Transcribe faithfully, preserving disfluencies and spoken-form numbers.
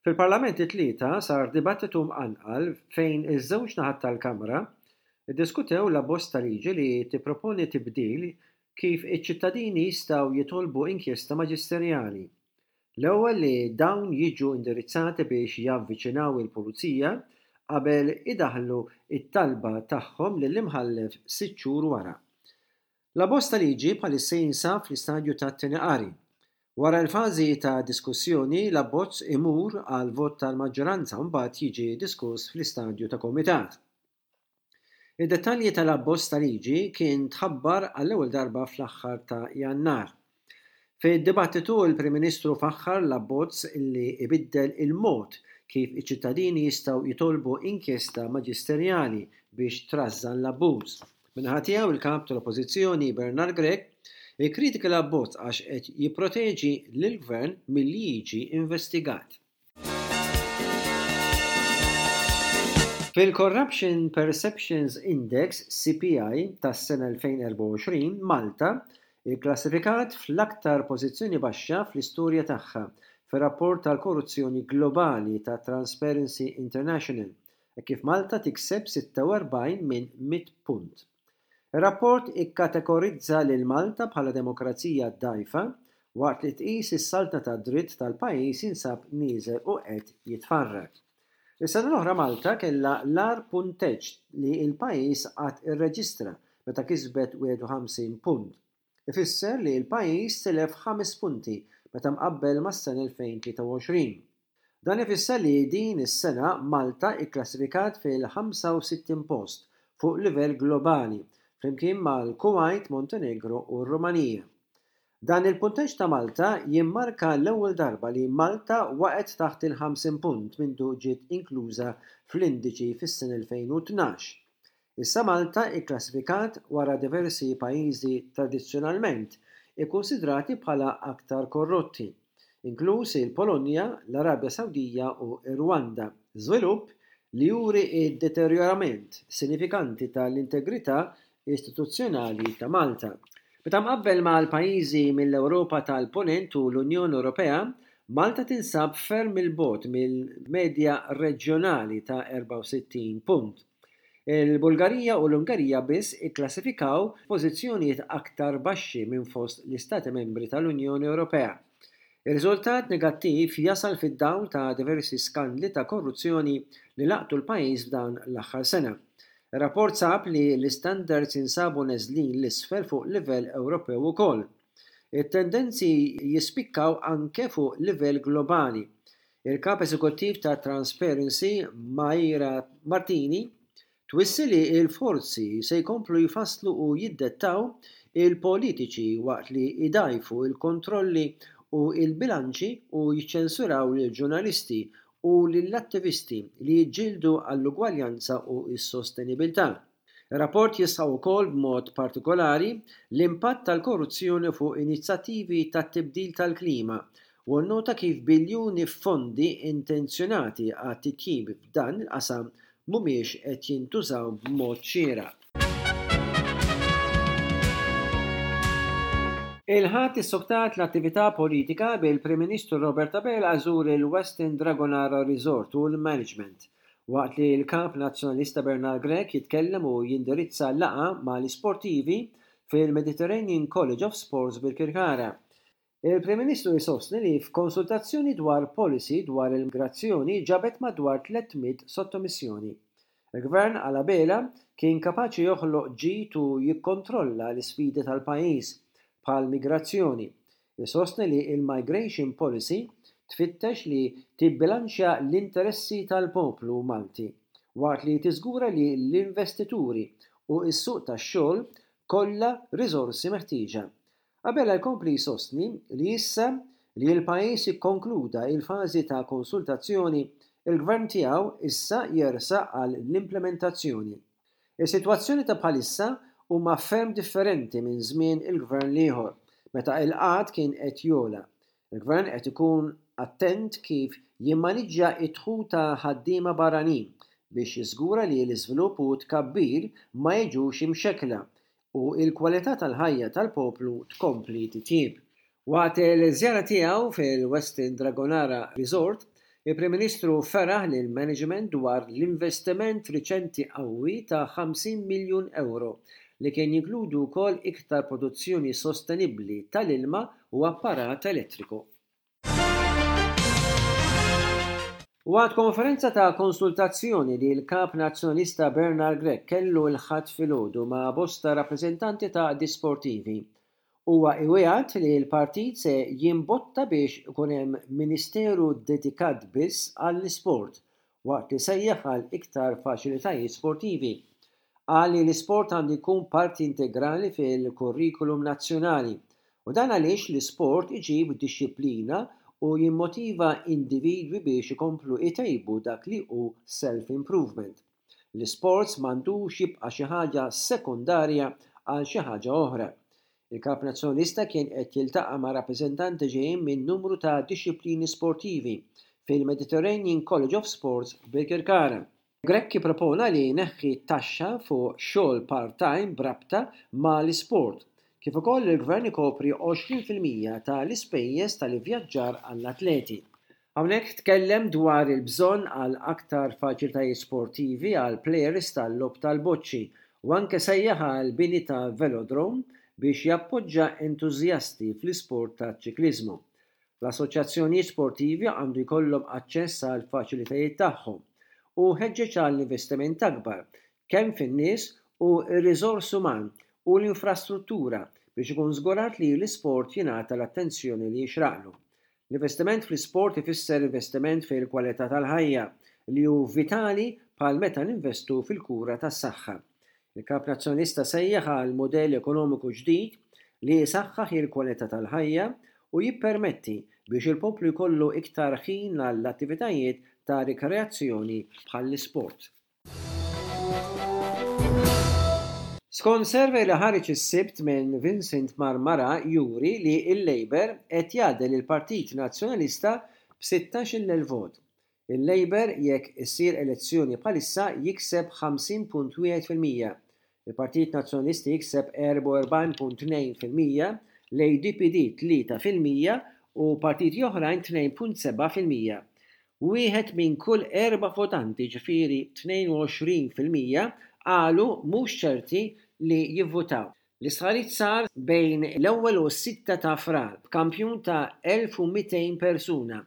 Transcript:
Fil-Parlament it-Tlieta sar dibattitu mqanqal fejn iż-żewġ naħat tal-Kamra ddiskutew l-abbozz ta' liġi li tipproponi tibdil kif iċ-ċittadini jistgħu jitolbu inkjesta maġisterjali. L-ewwel li dawn jiġu indirizzati biex javviċinaw il-pulizija qabel idaħħlu it-talba tagħhom lill-imħallef sitt xhur wara. L-abbozz ta' liġi bħalissa jinsab fl-istadju tat-tieni qari. Wara l-fażi ta' diskussjoni, l-abbozz imur għal vot tal-maġġoranza, mbagħad jiġi diskuss fl-istadju ta' komitat. Id-dettalji tal-abbozz ta' liġi kien tħabbar għall-ewwel darba fl-aħħar ta' Jannar. Fid-dibattitu, il-Prim Ministru faħħar l-abbozz li ibiddel il-mod kif iċ-ċittadini jistgħu jitolbu inkjesta maġisterjali biex trażżan l-abbuż. Min-naħa tiegħu, il-kap tal-Oppożizzjoni Bernard Grech ikkritika l-abbozz għax qed jipproteġi lill-gvern milli jiġi investigat. Fil-Corruption Perceptions Index, C P I, tas-sena elfejn u erbgħa u għoxrin, Malta ikklassifikat fl-aktar pożizzjoni baxxa fl-istorja tagħha fir-rapport tal-korruzzjoni globali ta' Transparency International, e kif Malta tikseb sitta u erbgħin minn mitt punt. Ir-rapport ikkategorizza lil Malta bħala demokrazija dgħajfa waqt li tqis is-saltna ta' dritt tal-pajjiż jinsab nieżel u qed jitfarrak. Is-sena l-oħra Malta kellha l-agħar punteġġ li l-pajjiż qatt irreġistra meta kisbet wieħed u ħamsin punt. Ifisser li l-pajjiż tilef ħames punti meta mqabbel mas-sena elfejn u tlieta u għoxrin. Dan ifisser li din is-sena Malta ikklassifikat fil-ħamsa u sittin post fuq livell globali flimkien mal-Kuwait, Montenegro u r-Rumanija. Dan il-punteġġ ta' Malta jimmarka l-ewwel darba li Malta waqgħet taħt il-ħamsin punt mindu ġiet inkluża fl-indiċi fis-sena elfejn u tnax. Issa Malta ikklassifikat wara diversi pajjiżi tradizzjonalment ikkunsidrati bħala aktar korrotti, inkluż il-Polonja, l-Arabja Sawdija u r-Rwanda. Żvilupp li juri id-deterjorament sinifikanti tal-integrità istituzzjonali ta' Malta. Meta mqabbel mal-pajjiżi mill-Ewropa tal-Ponent u l-Unjoni Ewropea, Malta tinsab ferm il-bogħod mill-medja reġjonali ta' erbgħa u sittin punt. Il-Bulgarija u l-Ungerija biss ikklassifikaw pożizzjonijiet aktar baxxi minn fost l-Istati membri tal-Unjoni Ewropea. Ir-riżultat negattiv jasal fid-dawl ta' diversi skandli ta' korruzzjoni li laqtu l-pajjiż f'dan l-aħħar sena. Ir-rapport sab li l-istandards jinsabu neżlin 'l isfel fuq livell Ewropew ukoll. It-tendenzi jispikkaw anke fuq livell globali. Il-kap eżekuttiv ta' Transparency, Maira Martini, twissi li l-forzi se jkomplu jfasslu u jiddettaw il-politiċi waqt li jdajfu il-kontrolli u il-bilanċi u jiċċensuraw lill-ġurnalisti u lill-attivisti li jiġġieldu għall-ugwaljanza u s-sostenibilità. Ir-rapport jisħaq ukoll b'mod partikolari l-impatt tal-korruzzjoni fuq inizjattivi tat-tibdil tal-klima u nnota kif biljuni fondi intenzjonati għat-titjib f'dan il-qasam mhumiex qed jintużaw b'mod xieraq. Il-Ħadd issoktat l-attività politika bil-Prim Ministru Robert Abela żar il-Westin Dragonara Resort u l-Management, waqt li l-kap nazzjonalista Bernard Grech jitkellem u jindirizza laqgħa mal-isportivi fil-Mediterranean College of Sports Birkirkara. Il-Prim Ministru jsostni li f'konsultazzjoni dwar policy dwar il-migrazzjoni ġabet madwar tliet mitt sottomissjoni. Il-Gvern għal Abela kien kapaċi joħloq ġid u jikkontrolla l-isfidi tal-pajjiż bħal migrazzjoni. Isostni li il-migration policy tfittex li tibbilanċja l-interessi tal-poplu Malti waqt li tiżgura li l-investituri u s-suq tax-xogħol kollha riżorsi meħtieġa. Abela jkompli jsostni li issa li l-pajjiż ikkonkluda il-fażi ta' konsultazzjoni, il-gvern tiegħu issa jersaq għal l-implementazzjoni. Is-sitwazzjoni ta' bħalissa huma ferm differenti minn żmien il-gvern l-ieħor, meta il-qgħad kien qed jogħla. Il-gvern qed ikun attent kif jimmaniġġja id-dħul ta' ħaddiema barranin biex jiżgura li l-iżvilupp u tkabbir ma jiġux imxekkla u l-kwalità tal-ħajja tal-poplu tkompli titjib. Waqt il-żjara tiegħu fil-Westin Dragonara Resort, Il-Prim Ministru feraħ lill-management dwar l-investiment riċenti qawwi ta' ħamsin miljun ewro li kien jinkludu wkoll iktar produzzjoni sostenibbli tal-ilma u apparat elettriku. Waqt konferenza ta' konsultazzjoni li l-Kap Nazzjonalista Bernard Grech kellu l-Ħadd filgħodu ma' bosta rappreżentanti ta' għaqdiet sportivi, huwa iwiegħed li l-partit se jimbotta biex ikun hemm ministeru dedikat biss għall-isport waqt li sejjaħ għal iktar faċilitajiet sportivi. Qal li l-isport għandu jkun parti integrali fil-kurrikulum nazzjonali u dan għaliex l-isport iġib dixxiplina u jimmotiva individwi biex ikomplu jtejbu dak li hu self-improvement. L-isports m'għandux jibqa' xi ħaġa sekondarja għal xi ħaġa oħra. Il-Kap Nazzjonalista kien qed jiltaqa' ma' rappreżentanti ġejjin minn numru ta' dixxiplini sportivi fil-Mediterranean College of Sports f'Birkirkara. Grech ippropona li jneħħi t-taxxa fuq xogħol part-time b'rabta ma' l-isport, kif ukoll li l-Gvern ikopri għoxrin fil-mija ta' l-ispejjeż tal-ivvjaġġar għall-atleti. Hawnhekk tkellem dwar il-bżonn għal aktar faċilitajiet sportivi għal plejers tal-logħob tal-boċċi u anke sejjaħ għal bini ta' velodrome biex jappoġġa entużjasti fl-isport taċ-ċikliżmu. L-assoċjazzjonijiet sportivi għandu jkollhom aċċess għal faċilitajiet tagħhom u ħeġġeġ għal investiment akbar kemm fin-nies u r-riżors uman u l-infrastruttura biex ikun żgurat li l-isport jingħata l-attenzjoni li jixraqlu. L-investiment fl-isport ifisser investiment fil-kwalità tal-ħajja li hu vitali bħal meta ninvestu fil-kura tas-saħħa. Il-Kap Nazzjonalista sejjaħ għal mudell ekonomiku ġdid li jisaħħaħ il-kwalità tal-ħajja u jippermetti biex il-poplu jkollu iktar ħin għall-attivitajiet ta' rikreazzjoni bħall-isport. Skont survey li ħareġ is-Sibt minn Vincent Marmara juri li l-Labour qed jgħaddel il-Partit Nazzjonalista b'sittax-il elf vot. Il-Labour jekk issir elezzjoni bħalissa jikseb ħamsin punt wieħed fil-mija. Il-Partit Nazzjonalista jikseb erbgħa u erbgħin punt tnejn fil-mija, l-A D P D tlieta fil-mija u partiti oħrajn tnejn punt seba' fil-mija. Wieħed minn kull erba' votanti, ġifieri tnejn u għoxrin fil-mija, qalu mhux ċerti li jivvutaw. L-istħarriġ sar bejn l-ewwel u s-sitta ta' Frar b'kampjun ta' elf u mitejn persuna.